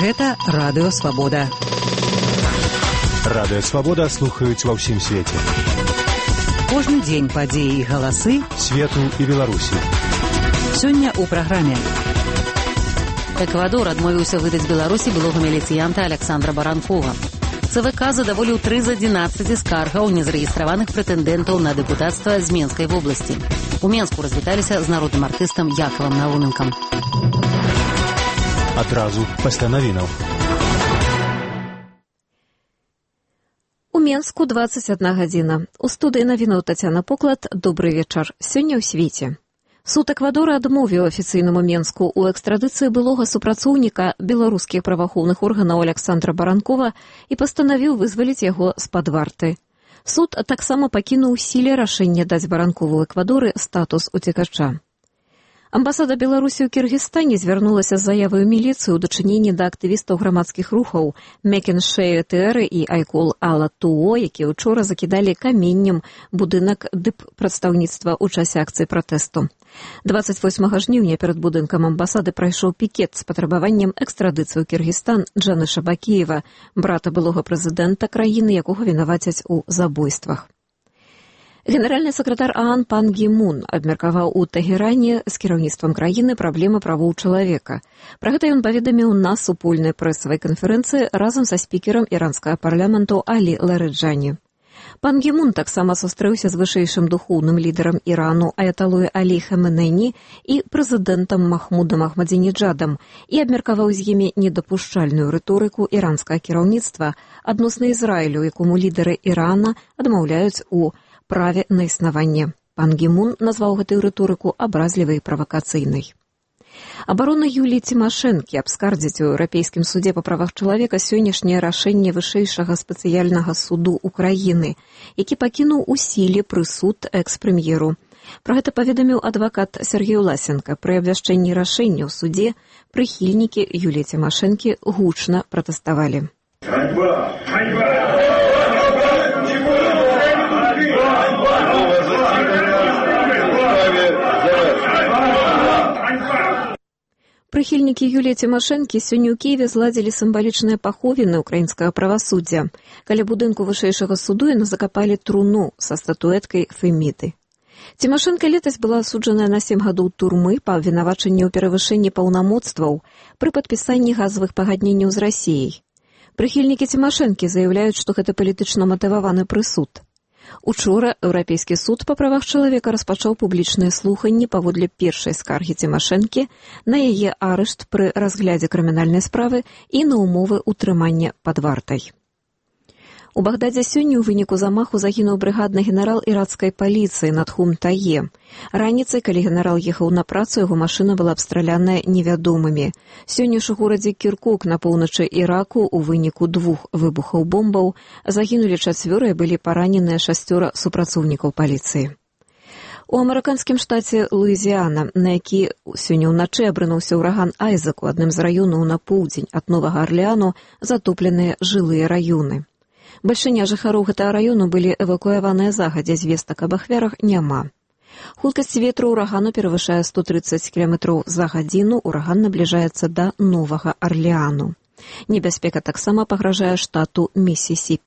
Гэта Радыё Свабода. Радыё Свабода слухаюць ва ўсім свеце. Кожны дзень падзеі і галасы свету і Беларусі. Сёння ў праграме. Эквадор адмовіўся выдаць Беларусі былога міліцыянта Александра Баранкова. ЦВК задаволіў 3 з 11 скаргаў незарэгістраваных прэтэндэнтаў на дэпутацтва з Менскай вобласці. У Менску развіталіся з народным артыстам Якавам Науненкам. Адразу пасля навінаў. У Менску 21 гадзіна. У студыі навінаў Тацяна Поклад. Добры вечар. Сёння ў свеце. Суд Эквадора адмовіў афіцыйнаму Менску ў экстрадыцыі былога супрацоўніка беларускіх праваахоўных органаў Александра Баранкова і пастанавіў вызваліць яго з-пад варты. Суд таксама пакінуў у сіле рашэнне даць Баранкову ў Эквадоры статус уцекача. Амбасада Беларусі ў Кіргізстане звярнулася з заявай у міліцыю ў дачыненні да актывістаў грамадскіх рухаў Мекеншею Тэры і Айкол Ала Туо, якія ўчора закідалі каменнем будынак дып-прадстаўніцтва ў часе акцыі пратэсту. 28 жніўня перад будынкам амбасады прайшоў пікет з патрабаваннем экстрадыцыі ў Кіргізстан Джаныша Бакіева, брата былога прэзідэнта краіны, якога вінавацяць у забойствах. Генеральны сакратар ААН Пан Гі Мун абмеркаваў у Тэгеране з кіраўніцтвам краіны праблемы правоў чалавека. Пра гэта ён паведаміў на супольнай прэсавай канферэнцыі разам са спікерам іранскага парламенту Алі Ларэджані. Пан Гі Мун таксама сустрэўся з вышэйшым духоўным лідарам Ірану аяталой Алі Хаменеі і прэзідэнтам Махмудам Ахмадзінеджадам і абмеркаваў з імі недапушчальную рыторыку іранскага кіраўніцтва адносна Ізраілю, якому лідары Ірана адмаўляюць у праве на існаванне. Пан Гі Мун назваў гэтую рыторыку абразлівай і правакацыйнай. Абарона Юліі Цімашэнкі абскардзіць у Еўрапейскім судзе па правах чалавека сённяшняе рашэнне вышэйшага спецыяльнага суду Украіны, які пакінуў у сіле прысуд экс-прэм'еру. Пра гэта паведаміў адвакат Сергей Власенко. Пры абвяшчэнні рашэння ў суде прыхільнікі Юліі Цімашэнкі гучна пратэставалі. Прыхільнікі Юліі Цімашэнкі сёння ў Кіеве зладзілі сімвалічныя паховіны ўкраінскага правасуддзя. Каля будынку вышэйшага суду яны закапалі труну са статуэткай Феміды. Цімашэнка летась была асуджаная на 7 гадоў турмы па абвінавачанні ў перавышэнні паўнамоцтваў пры падпісанні газавых пагадненняў з Расіяй. Прыхільнікі Цімашэнкі заяўляюць, што гэта палітычна матываваны прысуд. Учора Еўрапейскі суд па правах чалавека распачаў публічныя слуханні паводле першай скаргі Цімашэнкі на яе арышт пры разглядзе крымінальнай справы і на умовы ўтрымання пад вартай. У Багдадзе сёння ў выніку замаху загінуў брыгадны генерал іракскай паліцыі Надхум Тае. Раніцай, калі генерал ехаў на працу, яго машына была абстраляная невядомымі. Сёння ж у горадзе Кіркук на поўначы Іраку у выніку 2 выбухаў бомбаў загінулі 4, былі параненыя 6 супрацоўнікаў паліцыі. У амерыканскім штаце Луізіяна, на які сёння ўначы абрынуўся ўраган Айзек, у адным з раёнаў на поўдзень ад Новага Арлеану затопленыя жылыя раёны. Бальшыня жыхароў гэтага раёну былі эвакуяваныя загадзя, звестак аб ахвярах няма. Хуткасць ветру ўрагану перавышае 130 км за гадзіну, ураган набліжаецца да Новага Арлеану. Небяспека таксама пагражае штату Місісіпі.